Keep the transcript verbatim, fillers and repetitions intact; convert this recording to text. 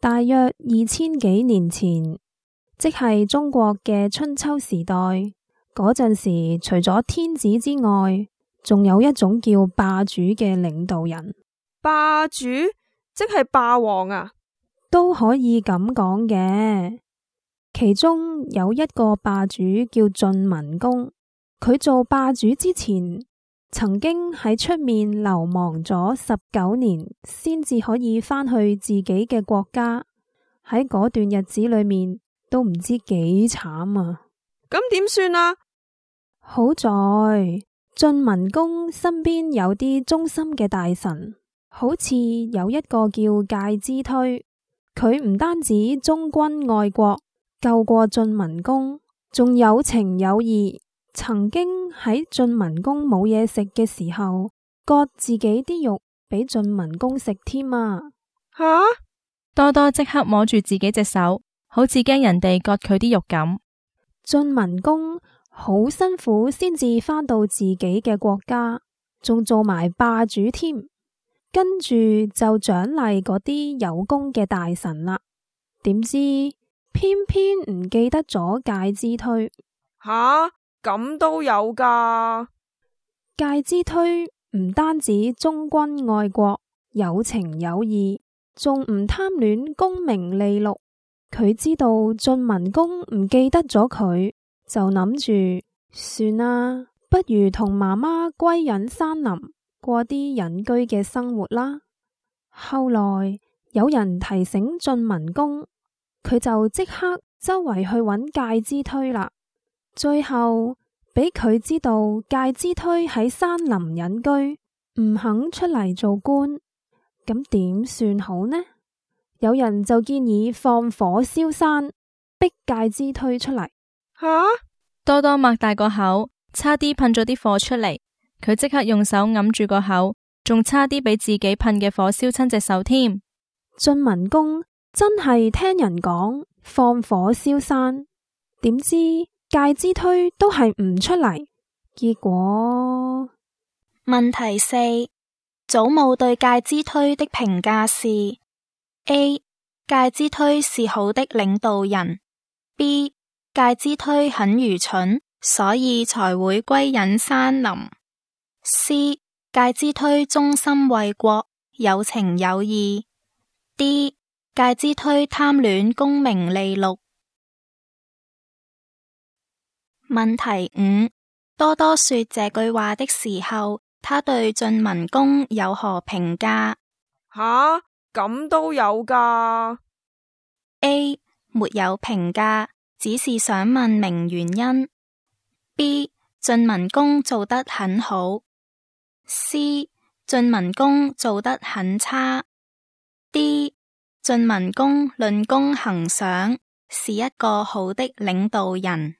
大約二千幾年前，即係中國嘅春秋時代嗰陣時，除咗天子之外，仲有一種叫霸主嘅領導人。霸主即係霸王啊？都可以咁講嘅。其中有一個霸主叫晉文公，佢做霸主之前，曾經喺出面流亡咗十九年，先至可以返去自己嘅國家。喺嗰段日子裏面，都唔知幾慘啊！咁點算啊？好在晉文公身邊有啲忠心嘅大臣，好似有一個叫介之推，佢唔單止忠君愛國，救過晉文公，仲有情有義，曾經喺晉文公冇嘢食嘅時候，割自己啲肉俾晉文公食添啊！吓！多多即刻摸住自己隻手，好似驚人哋割佢啲肉咁。晉文公好辛苦先至返到自己嘅國家，仲做埋霸主添，跟住就獎勵嗰啲有功嘅大臣啦。點知偏偏唔記得咗介之推。吓，咁都有噶？介之推唔單止忠君愛國，有情有義，仲唔貪戀功名利祿。佢知道晉文公唔記得咗佢，就諗住算啦，不如同媽媽歸隱山林，過啲隱居嘅生活啦。後來有人提醒晉文公，佢就即刻周圍去揾介之推啦。最後俾佢知道介之推喺山林隱居，唔肯出嚟做官，咁點算好呢？有人就建議放火燒山，逼介之推出嚟。吓！多多擘大個口，差啲噴咗啲火出嚟。佢即刻用手揞住個口，仲差啲俾自己噴嘅火燒親隻手添。晉文公真係聽人講放火燒山，點知介之推都係唔出嚟。結果問題四，祖母對介之推的評價是：A. 介之推是好的領導人。B. 介之推很愚蠢，所以才會歸隱山林。C. 介之推忠心為國，有情有義。D. 介之推貪戀功名利祿。問題五，多多說這句話的時候，他對晉文公有何評價？吓！咁都有噶？A. 沒有評價，只是想問明原因。B. 晉文公做得很好。C. 晉文公做得很差。D. 晉文公論功行賞，是一個好的領導人。